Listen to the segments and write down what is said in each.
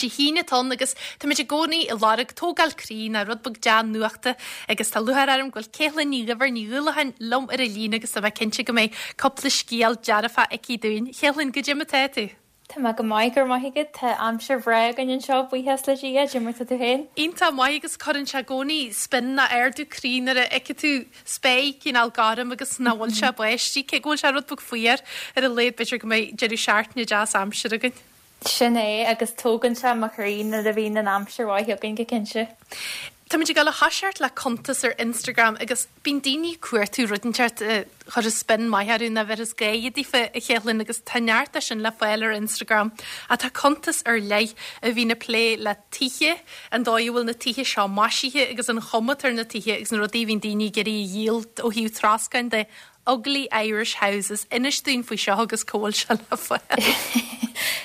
Dé hAoine atá ann agus táimid i gcónaí ag lorg tógáil croí nó rud beag dea-nuachta agus tá lúcháir orm go bhfuil Caitlín Ní Dhuibhir Ní Dhúlacháin liom ar an líne agus tá mé cinnte go mbeidh cúpla scéal dearfach aici dúinn. Caitlín, goidé mar atá tú? Tá mé go maith, go raibh maith agat. Tá aimsir bhreá againn anseo, buíochas le Dia. Goidé mar tá tú féin? Iontach maith agus cuireann sé i gcónaí spin nó ardú croí nuair a fheiceann tú spéir cineál gorm agus nach bhfuil sé ag báistí, cé go bhfuil sé rud beag fuar ar a laghad b'fhéidir go mbeidh deireadh seachtaine deas aimsire againn. Sin é, agus tógann sé mo chroí nuair a bhíonn an aimsir mhaith againn go cinnte. Táimid ag dul a thoiseacht le cuntas ar Instagram agus bíonn daoine ag cuartú rud inteacht a chuirfeas spin maith orthu nó a bheirfeas gáire daofa, a Chéithlinn, agus tá neart de sin le fáil ar Instagram. Ach tá cuntas ar leith a bhíonn ag plé le tithe, an dóigh a bhfuil na tithe seo maisithe agus an chuma atá ar na tithe agus na rudaí a bhíonn daoine ag iarraidh a dhíol ó thaobh troscáin de. Ugly Irish Houses, inis dúinn faoi seo agus cá bhfuil sé le fáil.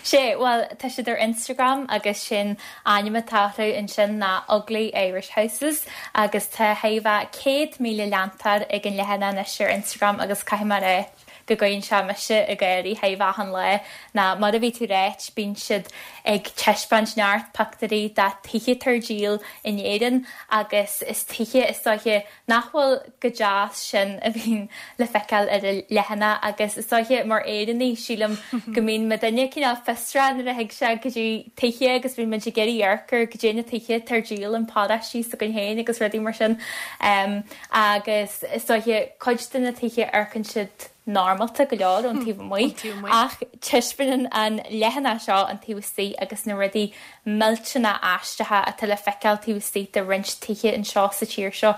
Sea, bhuel, tá siad ar Instagram agus sin ainm atá orthu ansin ná Ugly Irish Houses agus tá thart fá 100,000 leantóir ag an leathanach anois ar Instagram agus caithfidh mé a rá go gcuireann sé mise ag gáirí thart fá achan lá ná mar a bhí tú ráit bíonn siad ag taispeáint neart pictiúirí de tithe atá ar díol in Éirinn agus is tithe is dóiche nach bhfuil chomh deas sin a bhíonn le feiceáil ar an leathanach agus is dóiche mar Éireannaigh sílim go mbíonn muidinne cineál fiosrach nuair a thig sé go dtí tithe agus bíonn muid ag iarraidh amharc ar goidé na tithe atá ar díol in paróistí s'againn féin agus rudaí mar sin agus is dóiche cuid de na tithe amharcann siad normálta go leor ón taobh amuigh ach taispeánann an leathanach seo an taobh istigh agus na rudaí millteanna aisteacha atá le feiceáil taobh istigh de roinnt tithe anseo sa tír seo.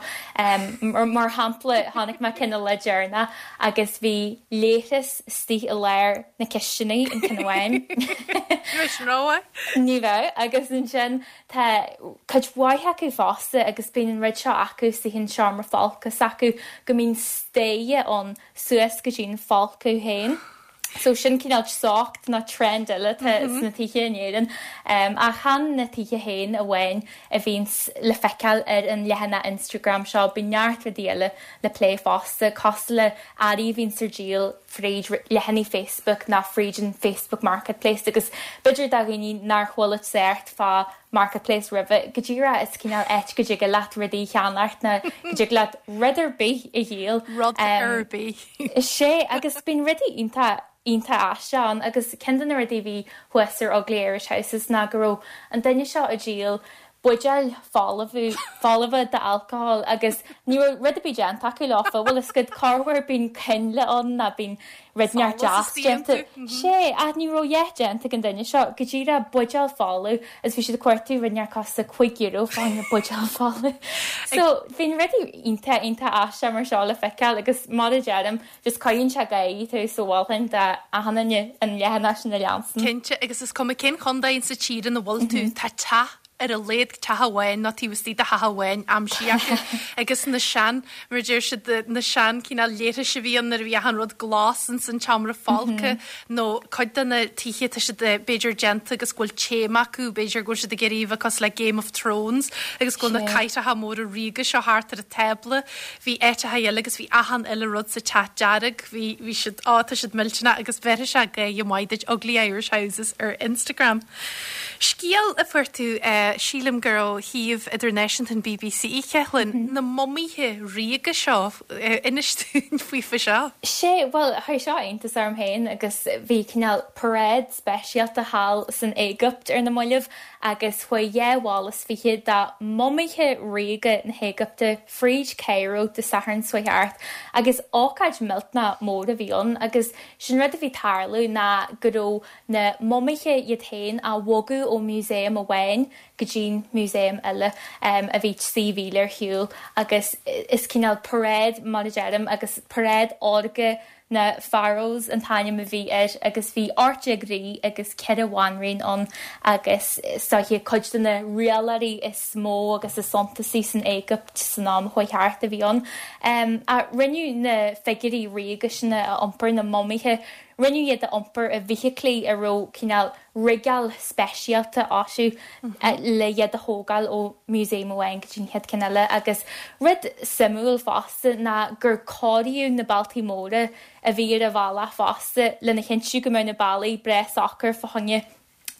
Mar shampla, chonaic mé ceann an lá deireanach agus bhí leithreas istigh i lár na cistine in ceann amháin. Ní raibh sin rómhaith. Ní raibh. Agus ansin tá cuid mhaith acu fosta agus bíonn an rud seo acu istigh in seomra folctha s'acu go mbíonn staighre ann suas go dtí'n folcadh féin. So sin cineál treocht nó trend eile atá sna tithe in Éirinn. Ach chan na tithe féin amháin a bhíonns le feiceáil ar an leathanach Instagram seo, bíonn neart rudaí eile le plé fosta, cosúil le earraí a bhíonns ar díol fríd leathanaigh Facebook nó fríd an Facebook Marketplace agus b'fhéidir do dhaoine nár chuala trácht fá Marketplace roimhe, go díreach is cineál áit go dtig leat rudaí a cheannacht nó go dtig leat rud ar bith a dhíol. Rud ar bith. Sea, agus bíonn rudaí iontach, iontach aisteach ann agus ceann de na rudaí a bhí thuas ar Ugly Irish Houses ná go raibh an duine seo ag díol buidéil folamh, folmha d'alcohol agus ní raibh rud ar bith déanta acu leofa, bhfuil fhios agat, corruair bíonn coinnle ann nó bíonn rud inteacht deas déanta. Sea, ach ní raibh a dhath déanta ag an duine seo, go díreach buidéal folamh agus bhí siad ag cuartú rud inteacht costas €5 fá choinne buidéal folamh. So, bíonn rudaí iontach, iontach aisteach mar seo le feiceáil agus mar a deirim, just cuireann sé ag gáirí tú so mholfainn d'achan duine an leathanach sin a leanstan. Cinnte, agus is cuma cén chontae insa tír ina bhfuil tú, tá teach ar a laghad teach amháin nó taobh istigh de theach amháin aimsithe acu agus na sean, mar a deir siad, na sean cineál leithris a bhí ann nuair a bhí achan rud glas ins an tseomra folctha nó cuid de na tithe tá siad b'fhéidir déanta agus go bhfuil téama acu, b'fhéidir go bhfuil siad ag iarraidh a bheith cosúil le Game of Thrones agus go bhfuil na cathracha móra ríoga seo thart ar an tábla. Bhí áiteacha eile agus bhí achan uile rud sa teach dearg, bhí, bhí siad, á tá siad millteanach agus bheirfeadh sé gáire maith duit Ugly Irish Houses ar Instagram. Scéal a fuair tú, sílim gur ó shuíomh idirnáisiúnta an bbc, Caitlín, na mumaithe ríoga seo, inis dúinn faofa seo. Sea, bhuel, chuir seo iontas orm féin agus bhí cineál paráid speisialta thall san Éigipt ar na mallaibh agus chuaigh 22 bhall de mhumaithe ríoga na hÉigipte fríd Cairo Dé Sathairn seo chuaigh thart agus ócáid millteanach mór a bhí ann agus sin rud a bhí ag tarlú ná go raibh na mumaithe iad féin á bhogadh ó mhúsaem amháin go dtí'n músaem eile a bhí 3 mhíle ar shiúl agus is cineál paráid mar a deirim agus paráid órga na Pharaohs an t-ainm a bhí air agus bhí 18 rí agus 4 bhanríon ann agus is dóiche cuid de na rialóirí is mó agus is suntasaí san Éigipt san am a chuaigh thart a bhí ann. Ach rinneadh na figiúirí ríoga sin a iompar, na mumaithe, Rinneadh iad a iompar i bhfeithiclí a raibh cineál rigeáil speisialta orthu le iad a thógáil ó mhúsaem amháin go dtí an chéad ceann eile agus rud suimiúil fosta ná gur cóiríodh na bealtaí móra a bhí ar an bhealach fosta lena chinntiú go mbeadh na bealaí breá socair fá choinne.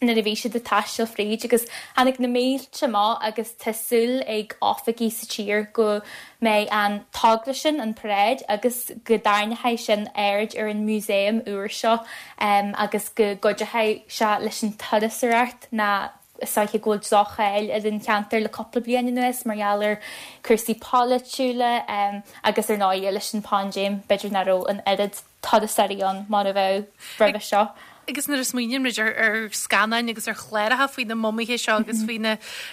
Nuair a bhí siad ag taisteal fríd agus tháinig na mílte amach agus tá súil ag oifigigh sa tír go mbeidh an togra sin, an paráid agus go dtarraingeoidh sin aird ar an músaem úr seo agus go gcuideoidh sé leis an turasóireacht ná is dóiche go bhfuil droch-cháil ar an cheantar le cúpla bliain anuas mar gheall ar cúrsaí polaitiúla agus ar ndóigh leis an bpaindéim b'fhéidir nach raibh an oiread turasóirí ann mar a bheadh roimhe seo. Agus nuair a smaoiníonn muid ar scannáin agus ar chláracha faoi na mumaithe seo agus faoi na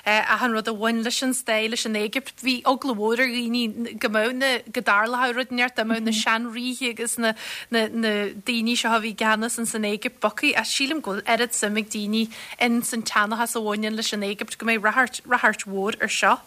achan rud a bhain leis an stair, leis an Éigipt, bhí eagla mhór ar dhaoine go mbeadh na, go dtarlódh rud inteacht, dá mbeadh na seanríthe agus na, na, na daoine seo a bhí i gceannas ins an Éigipt bogtha. Ach sílim go bhfuil oiread suim ag daoine in san tseanchas a bhaineann leis an Éigipt go mbeidh ráchairt, ráchairt mhór ar seo.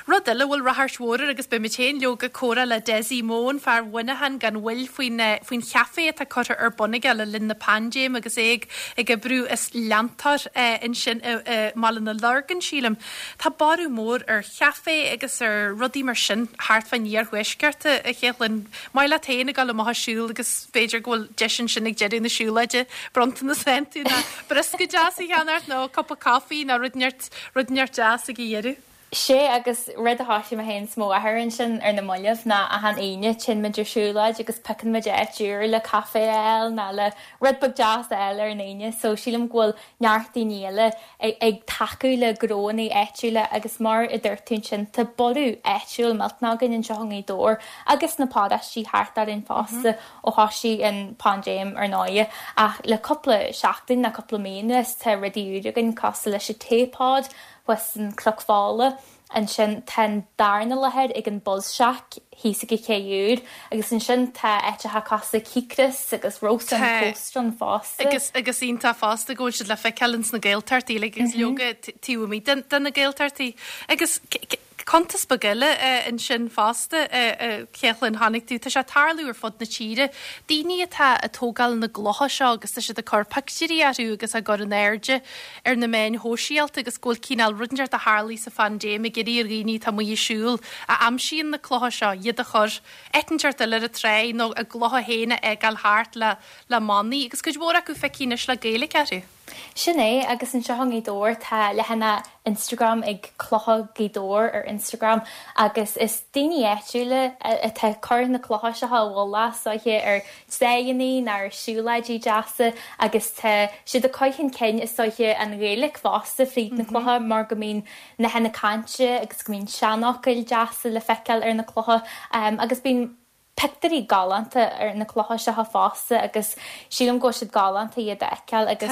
Rud eile a bhfuil ráchairt mhór air agus beidh muid féin leoga ag comhrá le Dessie Mone, fear Mhuineacháin gan mhoill faoin, faoin chaifé atá curtha ar bun aige le linn na paindéime agus é ag, ag oibriú is leantóir ansin i, i mBaile na Lorgan, sílim. Tá borradh mór ar chaifé agus ar rudaí mar sin thart fán iarthuaisceart, a Chéithlinn. Maith leat féin ag dul amach ag siúl agus b'fhéidir go bhfuil deis ansin ag deireadh na siúlóide bronntanas a fhaigheann tú ná briosca deas a cheannacht nó cupa coffee nó rud inteacht, rud inteacht deas ag a dheireadh. Sea, agus rud a thoisigh mé féin 's mo mháthair ansin ar na mallaibh ná achan Aoine téann muid ar siúlóid agus piocann muid áit úr le caife a fháil ná le rud beag deas a fháil ar an Aoine so sílim go bhfuil neart daoine eile ag tacú le gnóanna áitiúla agus mar a dúirt tú ansin tá borradh áitiúil millteanach againn anseo i nGaoth Dobhair agus sna paróistí thart orainn fosta ó thoisigh an paindéim ar ndóighe ach le cúpla seachtain ná cúpla mí anuas tá rudaí úr againn cosúil leis an Taypod thuas in Cnoc Fola, ansin tá an darna láthair ag an Buzz Shack thíos ag an Ché Úr agus ansin tá áiteacha cosúil le Cíocras agus Roast on the Coast ann fosta. Agus agus iontach fosta go bhfuil siad le feiceáil ins na Gaeltachtaí uilig agus leoga taobh amuigh de na Gaeltachtaí. Agus cuntas beag eile ansin fosta, a Chéithlinn, chonaic tú, tá sé ag tarlú ar fud na tíre, daoine atá ag tógáil na gclocha seo agus tá siad ag cur pictiúirí orthu agus á gcur in airde ar na meáin shóisialta agus go bhfuil cineál rud inteacht a tharlaigh sa phaindéim ag iarraidh ar dhaoine atá amuigh ag siúl a aimsíonn na clocha seo iad a chur áit inteacht eile ar an tráigh nó a gclocha féin a fhágáil thart le le manaí agus cuid mhór acu feicthe anois le Gaeilge orthu. Sin é, agus anseo i nGaoth Dobhair tá leathanach Instagram ag Clocha Ghaoth Dobhair ar Instagram agus is daoine áitiúla atá ag cur na clocha seo i bhfolach is dóiche ar tráigheanna nó ar siúlóidí deasa agus tá siad ag cur chun cinn is dóiche an Ghaeilge fosta fríd na clocha mar go mbíonn nathanna cainte agus go mbíonn seanfhocail deasa le feiceáil ar na clocha agus bíonn pictiúirí galánta ar na clocha seo fosta agus sílim go bhfuil siad galánta iad a fheiceáil agus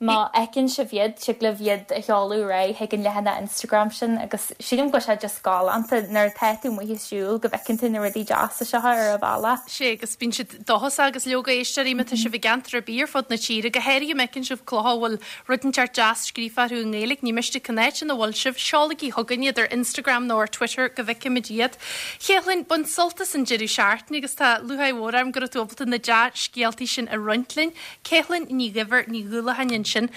má fheiceann sibh iad, tig libh iad a sheoladh ar aghaidh chuig an leathanach Instagram sin agus sílim go bhfuil sé just galánta nuair atá tú amuigh ag siúl go bhfeiceann tú na rudaí deasa seo ar an bhealach. Sea agus bíonn siad dóchasach agus leoga éisteoirí má tá sibh i gceantar ar bith ar fud na tíre, go háirithe má fheiceann sibh clocha a bhfuil rud inteacht deas scríofa orthu i nGaeilge, ní miste cén áit ina bhfuil sibh, seolaigí chugainn iad ar Instagram nó ar Twitter go bhfeicfimid iad. Chéithlinn, bain sult as an deireadh seachtaine agus tá lúcháir mhór orm go raibh tú ábalta na dea-scéaltaí sin a roinnt linn. Céithlinn Ní Dhuibhir Ní Dhúlacháin ansin.